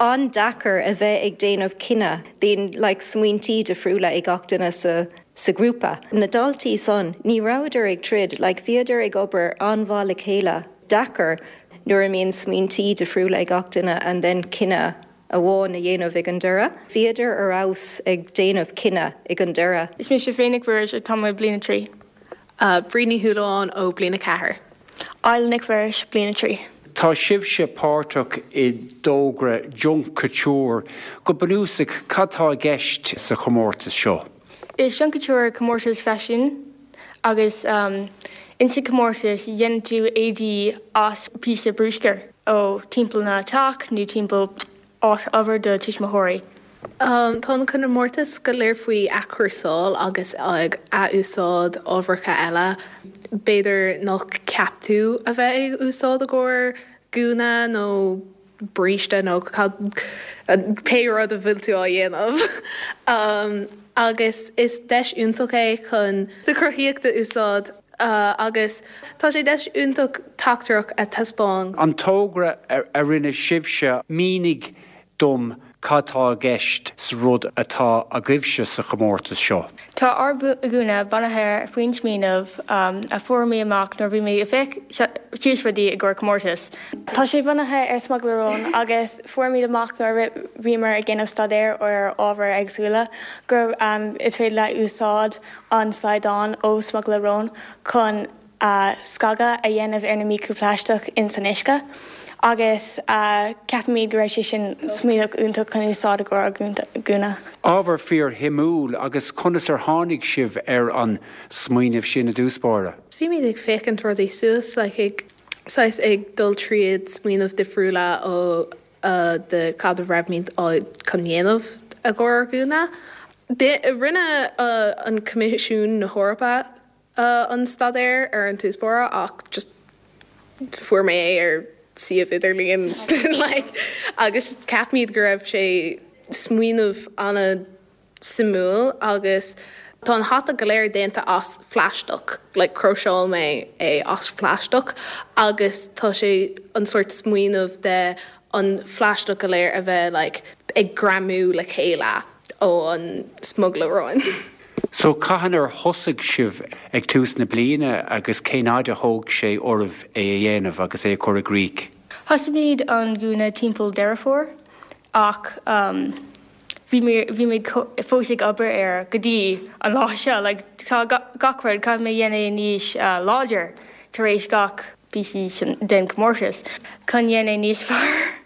an-deacair a bheith ag déanamh cinneadh bíonn like, smaointí difriúla ag gach duine sa sa grúpa. Na daltaí san ní rabhadar ag troid, like, bhíodar ag obair an-mhaith le chéile deacair nuair a mbíonn smaointí difriúla ag gach duine and then cinneadh amháin a dhéanamh ag an deireadh. Bhíodar ar fheabhas ag déanamh cinneadh ag an deireadh. Is mise Féin Nic Mhuiris atá mé bliain a trí. Bríd Ní Shúilleabháin ó bliain a ceathair. Aila Nic Mhuiris bliain a trí. Tá sibhse páirteach i dtogra Junk Kouture go bunúsach cad tá i gceist sa chomórtas seo. Is Junk Kouture comórtas faisin agus um, insa comórtas dhéanann tú éadaí as píosa bruscair ó timpeall na teach nó timpeall áit obair do tuismitheoirí. Um, tá an comórtas go léir faoi athchúrsáil agus ag athúsáid ábharcha eile. B'fhéidir nach ceap tú a bheith ag úsáid i gcomhair gúna nó bríste nó pé rud a bhfuil tú á dhéanamh. Um, agus is deis iontach é chun do chruthaíocht a úsáid uh, agus tá sé deis iontach teachtaireacht a thaispeáint. An togra a rinne sibhse mínigh dom cad tá i gceist sa rud atá agaibhse sa chomórtas seo. Tá ár gúna bunaithe faoin smaoineamh um, a fuair mé amach nuair bhí mé ag féach síos rudaí i gcomhair comórtas. Tá sé bunaithe ar smugairle róin agus fuair amach nuair bhíomar ag déanamh staidéar ar ábhar éagsúla gur um, is féidir le úsáid an slaghdán ó smugairle róin chun uh, scagadh a dhéanamh ar na microplaisteach in san uisce. agus uh, ceapaimid go raibh sé sin smaoineamh iontach chun úsáid i gcomhair gúna. Ábhar fíorshuimiúil agus conas ar tháinig sibh ar an smaoineamh sin i dtús báire. Bhí mé ag féachaint rudaí suas like, ag saghas ag dul tríd smaoineamh difriúla ó uh, de cad a raibh á chun dhéanamh i gcomhair gúna. Rinne uh, an Coimisiún na hEorpa uh, an staidéar ar an tús báire ach just fuair mé ar suíomh idirlíon like, agus ceapaimid go raibh sé smaoineamh an-suimiúil agus tá an hata go léir déanta as phlaisteach, like cróiseáil mé é as phlaisteach agus tá sé an sórt smaoineamh de an phlaisteach go léir a bheith like, ag greamú le chéile ó an smugairle róin. So cathain ar thosaigh sibh ag tús na bliana agus cén fhad a thóg sé oraibh é a dhéanamh agus é chur i gcrích. Thosaigh an gúna timpeall Deireadh Fómhair ach um, bhí mé fós ag obair air go dtí an lá seo, like, tá gach rud caithfidh mé dhéanamh níos uh, láidir tar éis gach píosa den comórtas chun dhéanamh níos fearr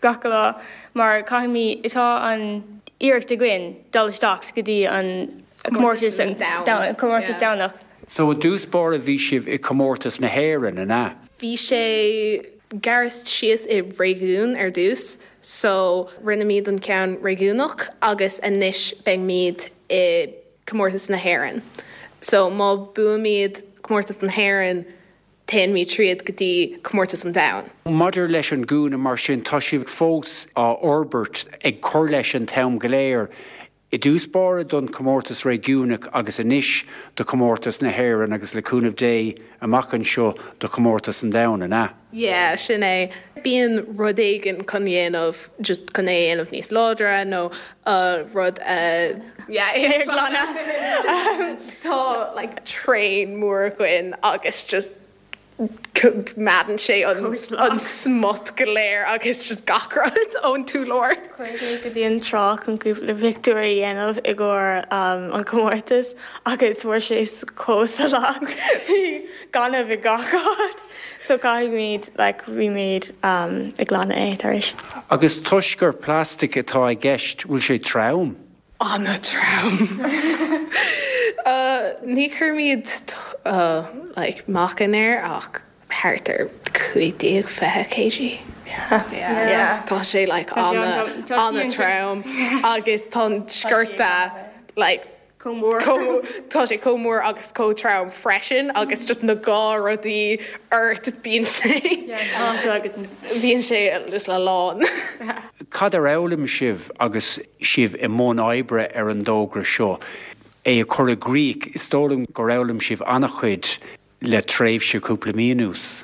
gach lá mar caithfidh tá an iarracht againn dul isteach go dtí an comórtas comórtas domhanda. So i dtús báire bhí sibh i comórtas na hÉireann an ea. Bhí sé gearrtha síos i réigiún ar dtús, so rinneamid an ceann réigiúnach agus anois beimid i comórtas na hÉireann. So má buaimid comórtas na hÉireann téimid tríd go dtí comórtas an domhain. Maidir leis an gúna mar sin tá sibh fós á fhorbairt ag cur leis an t-am go léir. I dtús báire don comórtas réigiúnach agus anois do comórtas na hÉireann agus le cúnamh Dé amach anseo do comórtas an domhain an ea. Yeah, sin é. Bíonn rud éigin chun dhéanamh just chun é dhéanamh níos láidre nó uh, rud uh, yeah, é glanadh. Tá like, traein mór againn agus just meadann sé an, an smut go léir agus just gach rud ón urlár. Chuaigh go dtí an trá chun cúpla pictiúr a dhéanamh i gcomhair um, an comórtas agus fuair sé chomh salach bhí gaineamh i gach áit. So caithfimid like, bhímid um, ag glanadh é tar éis. Agus toisc gur plastic atá i gceist bhfuil sé trom. An-trom. uh, ní chuirimid uh, like, meáchan air ach thart ar cúig déag fiche kg. Yeah. Yeah. Tá sé like an-trom agus tá sciorta like Chomh mór. Tá sé chomh mór agus chomh trom freisin agus just na dhá rudaí ort bíonn sé bíonn sé just le lán. Cad ar fhoghlaim sibh agus sibh i mbun oibre ar an dtogra seo. É a chur i gcrích is dóigh liom gur fhoghlaim sibh an-chuid le tréimhse cúpla mí anuas.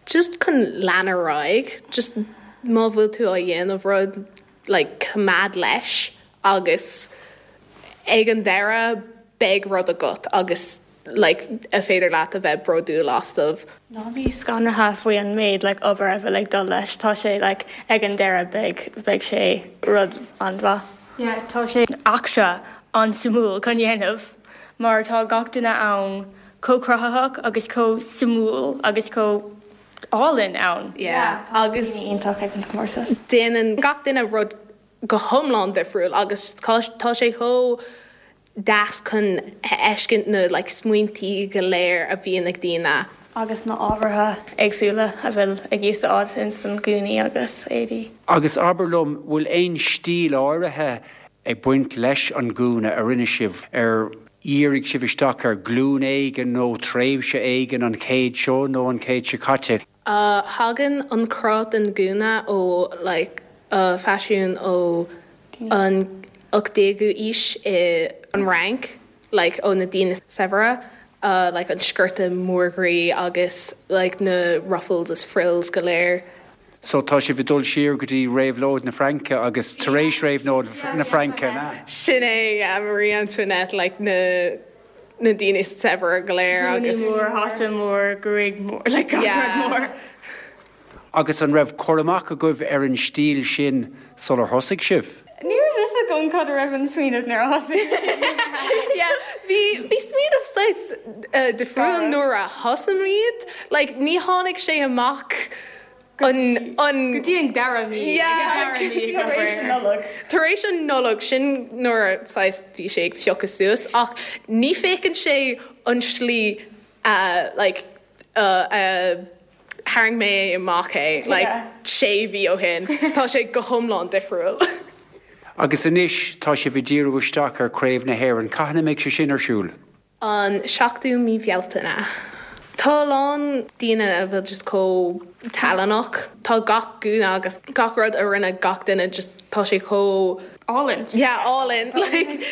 Just chun lean ar aghaidh, just má bhfuil tú á dhéanamh rud like, coimeád leis agus ag an deireadh beidh rud agat agus like, a féidir leat a bheith bródúil astu. Ná bí scanraithe faoi an méid like, obair a bheith like, dul leis tá sé like, ag an deireadh beidh beidh sé rud an-mhaith. Yeah, tá sé eachtra an-suimiúil chun dhéanamh, mar tá gach duine ann chomh cruthaitheach agus chomh suimiúil agus chomh álainn ann. Yeah, agus iontach ag an comórtas. Déanann gach duine rud go hiomlán difriúil agus tá sé chomh deas chun fheiscint na like, smaointí go léir a bhíonn ag daoine. Agus na ábhartha éagsúla a bhfuil ag úsáid in san gúnaí agus éadaí. Agus abair liom bhfuil aon stíl áirithe ag baint leis an gúna a rinne sibh ar dhírigh sibh isteach ar glún éigin nó tréimhse éigin an chéad seo nó an chéad seo caite. Uh, thagann an cruth den gúna ó like, uh, faisiún ó an ochtú déag aois i an Fhrainc, like, ó na daoine saibhre, uh, like, an sciorta mór groí agus like, na ruffles is frills go léir. So tá sibh ag dul siar go dtí réabhlóid na Fraince agus tar éis réabhlóid na Fraince na. Sin é yeah, Marie Antoinette like, na na daoine saibhre go léir agus mór hata mór gruaig mór like, Yeah. mór. Agus an raibh cur amach agaibh ar an stíl sin sular thosaigh sibh. Ní raibh fhios agam cad a raibh an smaoineamh nuair a thosaigh. Yeah, bhí bhí smaoineamh saghas uh, difriúil nuair a thosaímid, like, ní tháinig sé amach an an Go dtí an dara mí Yeah, Tar éis an Nollag. Tar éis an Nollag sin nuair saghas bhí sé ag piocadh suas ach ní féiceann sé an slí uh, like, uh, uh, tharraing mé amach é like, Yeah. sé mhí ó shin Tá sé go hiomlán difriúil. Agus anois tá sibh ag díriú isteach ar Craobh na hÉireann, Cathain a mbeidh sé sin ar siúl. An seachtú mí Bhealtaine. Tá lán daoine a bhfuil just chomh talannach, Tá gach gúna agus gach rud a rinne gach duine just tá sé chomh Álainn. yeah, álainn like,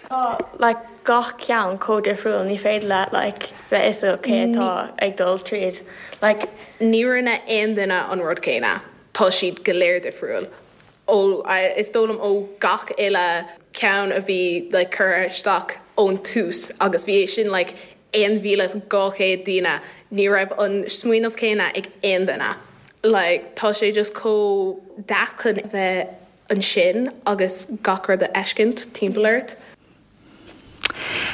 Tá like, gach ceann chomh difriúil ní féidir le like, bheith fhios cé atá ag dul tríd. Like, ní rinne aon duine an rud céanna Tá siad go léir difriúil. Ó is dóigh liom ó gach uile ceann a bhí like, curtha isteach ón tús agus bhí é sin like, aon mhíle dhá chéad duine ní raibh an smaoineamh céanna ag aon duine. Like, tá sé just chomh deas chun bheith ansin agus gach rud a fheiscint timpeall ort.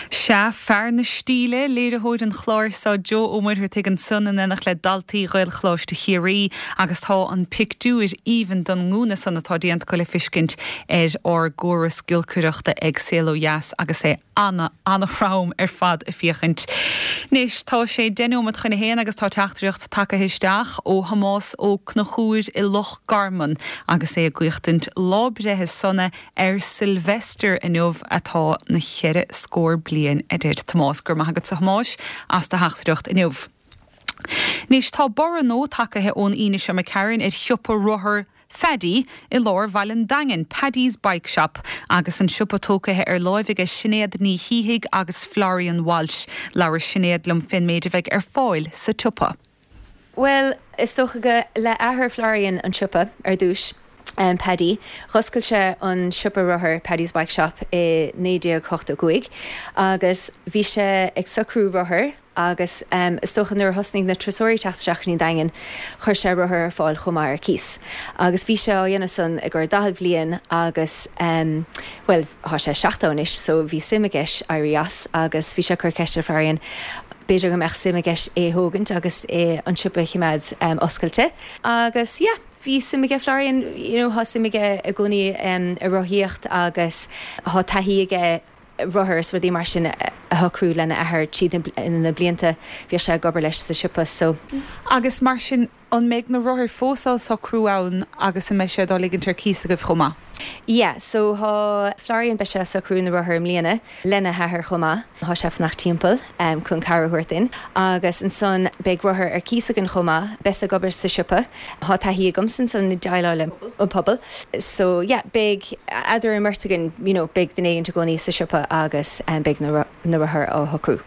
Sea, fear na stíle, léiritheoir an chláir seo Joe Ó Muircheartaigh ansan in éineacht le daltaí Ghaelcholáiste Chiarraí agus tá an pictiúr aoibhinn den ngúna san atá déanta acu le feiscint ar ár gcóras giolcaireachta ag Saol Ó Dheas agus é ana ana-throm ar fad a féachaint. Anois tá sé deich nóiméad chun a haon agus tá teachtaireacht tagtha isteach ó Thomás Ó Conchúir i Loch Garman agus é ag guíochtaint lá breithe sona ar Sylvester inniu atá na cheithre scór bliain a deir Tomás gur maith agat a Thomáis as do theachtaireacht inniu. Anois tá borradh nua tagtha ón Aoine seo McCarran ar shiopa rothar Phaddy i lár Bhaile an Daingin, Paddy's Bike Shop, agus an siopa tógtha ar láimh aige Sinéad Ní Shíthigh agus Florian Walsh. Labhair Sinéad liom fén méid a bheidh ar fáil sa tsiopa. Well, is dócha go le athair Florian an siopa ar dtús. Um, Paddy, Dh'oscail sé an siopa rothar Paddy's Bike Shop i naoi déag ochtó cúig agus bhí sé ag socrú rothar agus um, is dócha nuair a thosnaigh na turasóirí teacht isteach go dtí an Daingean chuir sé rothar ar fáil chomh maith ar cíos. Agus bhí sé á dhéanamh san i gcomhair daichead bliain agus um, well tá sé seachtó anois, so bhí suim aige éirí as agus bhí sé ag cur ceist ar Florian b'fhéidir go mbeadh suim aige é thógaint agus é an siopa a choimeád um, oscailte. Agus yeah, bhí suim aige Florian you know, tá suim aige i gcónaí um, i rothaíocht agus tá taithí aige rothar is rudaí mar sin a shocrú lena athair tríd na blianta bhí sé ag obair leis sa siopa so. Agus mar sin an mbeidh na rothair fós á socrú ann agus an mbeidh sé á ligint ar cíos agaibh chomh maith. Yeah, so tá Florian beidh sé ag socrú na rothar i mbliana lena hathair chomh maith tá sé fanacht timpeall um, chun cabhair a thabhairt dúinn agus ansan beidh rothar ar cíos againn chomh maith beidh ag obair sa siopa tá taithí agamsa san déileáil le an pobal. So yeah, beidh eadar an mbeirt againn you know, beidh duine éigin i gcónaí sa siopa agus um, beidh na, na rothair á shocrú.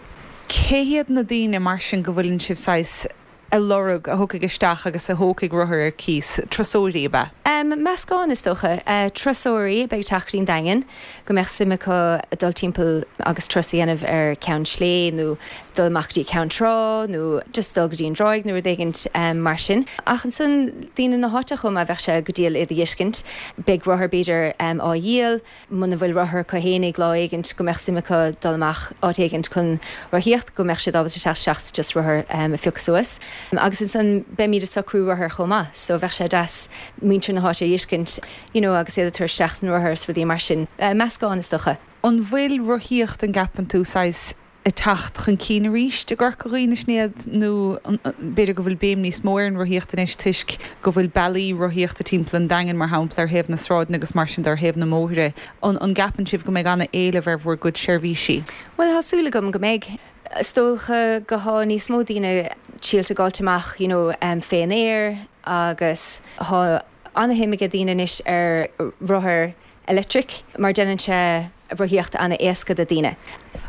Cé hiad na daoine mar sin go bhfuileann sibh saghas a lorg a thiocfaidh isteach agus a thógfaidh rothar ar cíos turasóirí ab ea? Um, meascán is dócha uh, turasóirí beidh teacht go dtí an Daingean go mbeadh suim acu dul timpeall agus turas a dhéanamh ar Cheann Sléibhe nó dul amach dtí Ceann Trá nó just dul go dtí an dráig nó rud éigin um, mar sin. Ach ansan daoine na háite chomh maith bheadh sé go diail iad a fheiscint, beidh rothar b'fhéidir um, á dhíol, muna bhfuil rothar acu fhéinig lá éigin go mbeadh suim acu dul amach áit éigin chun rothaíocht go mbeadh siad ábalta teacht isteach just rothar um, a phiocadh suas. Agus ansan beimid ag socrú rothar chomh maith, so bheadh sé deas muintir na háite a fheiscint you know, agus iad ag tabhairt isteach an rothar is rudaí mar sin. Uh, meascán is dócha. An bhfuil rothaíocht an gceapann tú saghas ag teacht chun cinn arís i gCorca Dhuibhne Sinéad nó b'fhéidir go bhfuil béim níos mó ar an rothaíocht anois toisc go bhfuil bealaí rothaíochta timpeall an Daingin mar shampla ar thaobh na sráideanna agus mar sin ar thaobh na mbóithre. An an gceapann sibh go mbeidh an-éileamh ar bhur gcuid seirbhísí? Well tá súil agam go mbeidh. Is dócha go tá níos mó daoine sílte gáilte amach you know, um, fén aer agus tá an-shuim ag daoine anois ar rothar electric mar déanann sé rothaíocht an-éasca do daoine.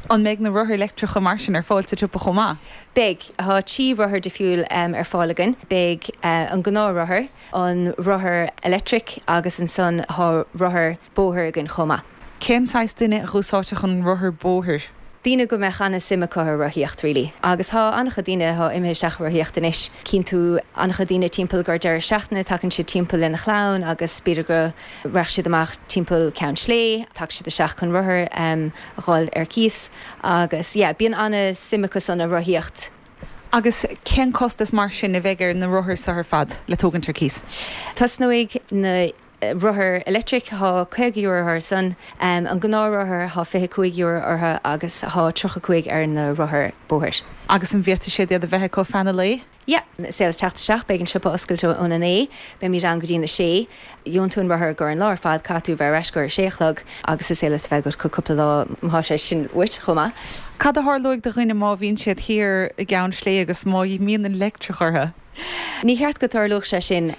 An mbeidh na rothair leictreacha mar sin ar fáil sa tsiopa chomh maith? Beidh tá trí rothar difriúil um, ar fáil againn, beidh uh, an gnáthrothar, an rothar electric agus ansan tá rothar bóthair againn chomh maith. Cén saghas duine a úsáidfeadh an rothar bóthair? Daoine go mbeadh an-suim acu i rothaíocht really. Agus tá an-chuid daoine atá imithe isteach rothaíocht anois cíonn tú an-chuid daoine timpeall gur deireadh seachtaine tagann siad timpeall lena chlann agus b'fhéidir go rachaidh siad amach timpeall Ceann Sléibhe, tagann siad isteach chun rothar um, a fháil ar cíos agus yeah, bíonn an-suim acu san i rothaíocht. Agus cén costas mar sin a bheidh ar na rothair seo ar fad le tógaint ar cíos? Tosnóidh na rothar electric tá caoga euro orthu san um, an gnáthrothar tá fiche cúig euro orthu agus tá tríocha cúig ar na rothar bóthair. Agus an bhféadfaidh siad iad a bheith acu feadh an lae? Yeah, sé teacht isteach beidh an siopa oscailte óna naoi, beimid ann go dtí na sé, Gheobhaidh tú an rothar gur an lá ar fad caithfidh tú bheith ar ais gur sé a chlog agus is é le bheith go cúpla lá má sé sin uait chomh maith. Cad a tharlóidh do dhuine má bhíonn siad thiar i gCeann Sléibhe agus má imíonn an leictreach orthu? Ní cheart go dtarlódh sé sin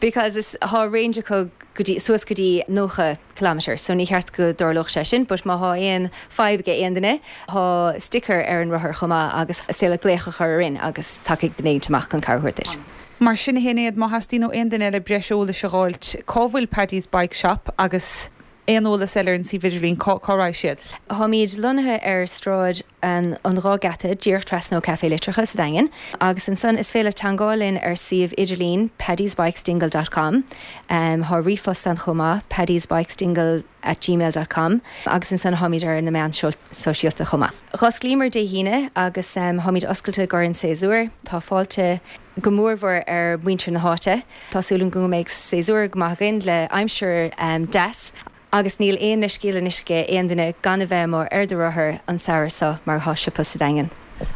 because is tá range acu go dtí suas go dtí nócha kilometer, so ní cheart go dtarlódh sé sin, but má tá aon fadhb ag aon duine tá sticker ar an rothar chomh maith agus is le glaoch a chur orainn agus tiocfaidh duine amach chun cabhair a thabhairt. Mar sin a Shinéad má theastaíonn ó aon duine le breis eolais a fháilt cá bhfuil Paddy's Bike Shop agus Aon eolas eile ar an suíomh idirlín, cá cá raghaidh siad? Táimid lonnaithe ar Sráid an an Dhá Gheata, díreach trasna ó Café Litreacha sa Daingean, agus ansan is féidir teagmháil linn ar suíomh idirlín paddysbikesdingle dot com. Tá ríomhphost ann chomh maith, paddysbikesdingle at gmail dot com, agus ansan táimid ar na meáin sóisialta chomh maith. Dh'osclaíomar Dé hAoine agus táimid oscailte i gcomhair an séasúr. Tá fáilte go mórmhór ar mhuintir na háite. Tá súil agam go mbeidh séasúr go maith againn le aimsir deas agus níl aon leithscéal anois ag aon duine gan a bheith amuigh ar do rothar an samhradh seo mar thá siopa sa Daingean.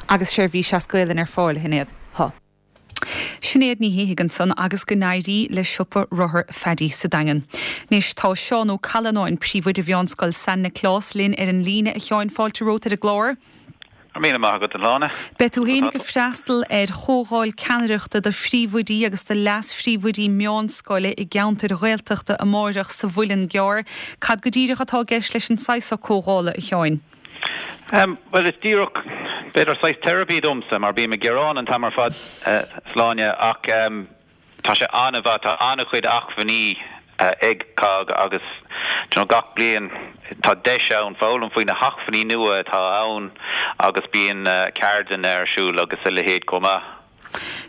Agus seirbhís as Gaelainn ar fáil, a Shinéad? Thá. Sinéad Ní Shíthigh ansan agus go n-éirí le siopa rothar Phaddy sa Daingean. Anois tá Seán Ó Callanáin, príomhoide Mheánscoil San Nioclás linn ar an líne. A Sheáin, fáilte romhat ar an gclár. Go raibh míle maith agat, a Shláine. Beidh tú fhéinig ag freastal ar chomhdháil ceannaireachta do phríomhoidí agus do leas-phríomhoidí meánscoile i gceantair Ghaeltachta amáireach sa Mhuileann gCearr. Cad go díreach atá i gceist leis an saghas seo comhdhála, a Sheáin? Bhuel, is díreach, b'fhéidir, saghas teiripí domsa, mar bím ag gearán an t-am ar fad, a Shláine, ach tá sé an-mhaith, tá an-chuid acmhainní ag COGG agus you know gach bliain tá deis ann foghlaim faoi na hacmhainní nua atá ann agus bíonn ceardlanna ar siúl agus a leithéid chomh maith.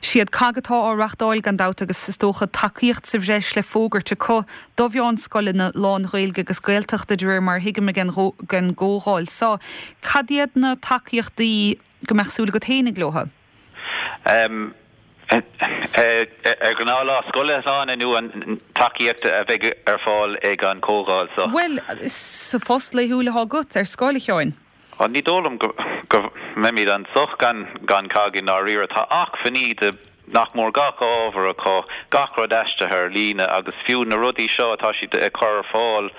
Siad COGG atá á reachtáil gan dabht agus is dócha tacaíocht sa bhreis le fógairt acu do mheánscoileanna lán-Ghaeilge agus Gaeltachta de réir mar a thuigim ag an gcomhdháil seo. Cad iad na tacaíochtaí go mbeadh súil agat fhéinig leo? Ar ghnáthlá scoile, a Shláine, nó an tacaíocht a bheidh ar fáil ag an chomhdháil seo? Bhuel, sa phost laethúil atá agat ar scoil, a Sheáin. Ní dóigh liom go mbeimid anso gan COGG i ndáiríre. Tá acmhainní do nach mór gach ábhar acu, gach rud aistrithe ar líne agus fiú na rudaí seo atá siad ag cur ar fáil,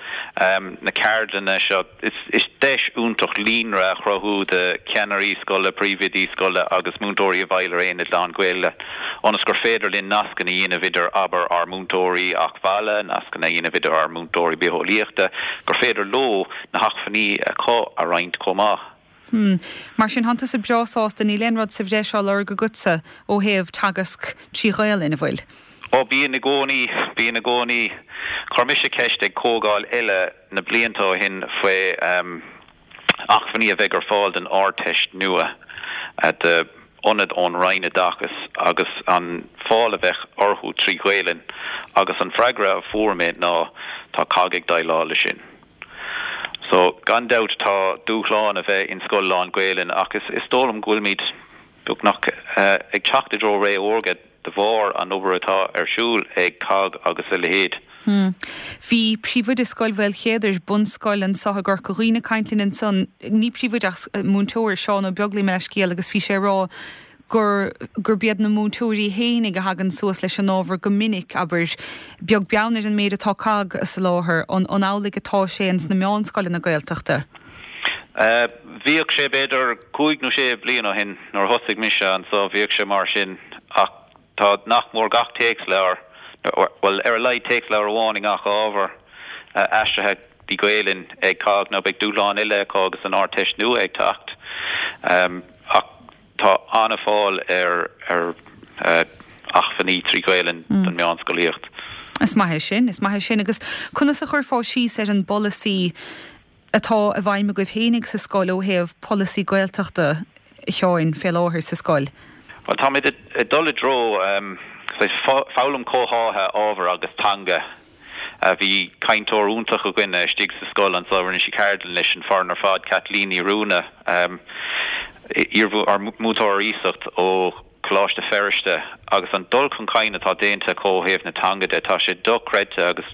na ceardlanna seo, is deis iontach líonra a chruthú de cheannairí scoile, príomhoidí scoile agus múinteoirí i bhfeighil ar aonad lán-Ghaeilge ionas gur féidir linn nascanna a dhéanamh idir, abair, ár múinteoirí acmhaille, nascanna a dhéanamh idir ár múinteoirí bitheolaíochta, gur féidir leo na hacmhainní acu a roinnt chomh maith. Hmm. Mar sin, tánn tusa breá sásta, níl aon rud sa bhreis á lorg agatsa ó thaobh teagasc trí Ghaelainn, an bhfuil? Ó, bíonn i gcónaí, bíonn i gcónaí. Chuir mise ceist ag comhdháil eile na blianta ó shin faoi acmhainní a bheidh ar fáil don Ardteist nua d'ionad ón Roinn Oideachais agus an fáil a bheadh orthu trí Ghaelainn agus an freagra a fuair mé ná tá COGG ag déileáil leis sin. So, gan dabht tá dúshlán a bheith in scoil lán-Ghaelainn ach is is dóigh liom go bhfuilimid beagnach ag teacht i dtreo ré órga de bharr an obair atá ar siúl ag COGG agus a leithéid. Hmm. Bhí príomhoide Scoil Mhaoilchéadair, bunscoil anso i gCorca Dhuibhne ag caint linn ansan, ní príomhoide ach múinteoir, Seán Ó Beaglaoich mo leithscéal agus bhí sé ag rá gur gurb iad na múinteoirí fhéinig a thagann suas leis an ábhar go minic, abair, beag beann ar an méid atá COGG a soláthar, an an amhlaidh atá sé ins na meánscoileanna Gaeltachta? Bhíodh sé b'fhéidir cúig nó sé bliain ó shin nuair a thosaigh mise anso, bhíodh sé mar sin ach tá nach mór gach téacsleabhar, bhuel ar a laghad téacsleabhar amháin i ngach ábhar, aistrithe go Gaelainn ag COGG. Now beidh dúshlán eile acu agus an Ardteist nua ag teacht ach. Tá an-fháil ar acmhainní trí Ghaelainn don meánscolaíocht. Is maith é sin, is maith é sin. Agus conas a chuirfeá síos ar an bpolasaí atá i bhfeidhm agaibh fhéinig sa scoil ó thaobh polasaí Gaeltachta, a Sheáin, fé láthair sa scoil? Bhuel, táimid ag dul i dtreo saghas foghlaim comhtháthaithe ábhair agus teanga. Bhí cainteoir iontach againne istigh sa scoil anso, rinne sí ceardlann leis an foireann ar fad, Caitlín Ní Ruana, iar-mhúinteoir ar iasacht ó Choláiste Feirste, agus an dul chun cinn atá déanta acu ó thaobh na teanga de, tá sé dochreidte agus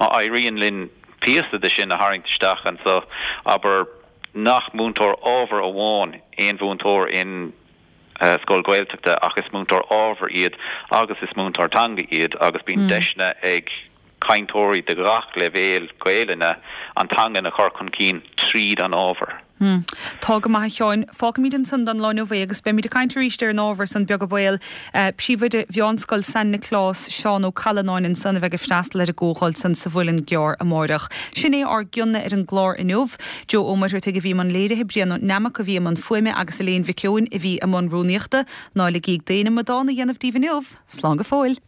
má éiríonn linn píosa de sin a tharraingt isteach anso, abair nach múinteoir ábhair amháin aon mhúinteoir in scoil Ghaeltachta ach is múinteoir ábhair iad agus is múinteoir teanga iad agus bíonn deiseanna ag cainteoirí de ghach leibhéal Gaelainne an teangain a chur chun cinn tríd an ábhar. Tá go maith a Sheáin. Fágfaimid ansan don lá inniu é agus beimid ag caint arís ar an ábhar san beag an baol. Príomhoide Mheánscoil San Nioclás, Seán Ó Callanáin ansan a bheidh ag freastal ar an gcomhdháil san sa Mhuileann gCearr amáireach. Sin é ár gcion-na ar an gclár inniu. Joe Ó Muircheartaigh a bhí i mbun léirithe, Brian Ó Neamac a bhí i mbun fuaime agus Elaine Mhic Eoin a bhí i mbun rúnaíochta. Ná ligíg d'aon amadán a dhéanamh díbh inniu. Slán go fóill.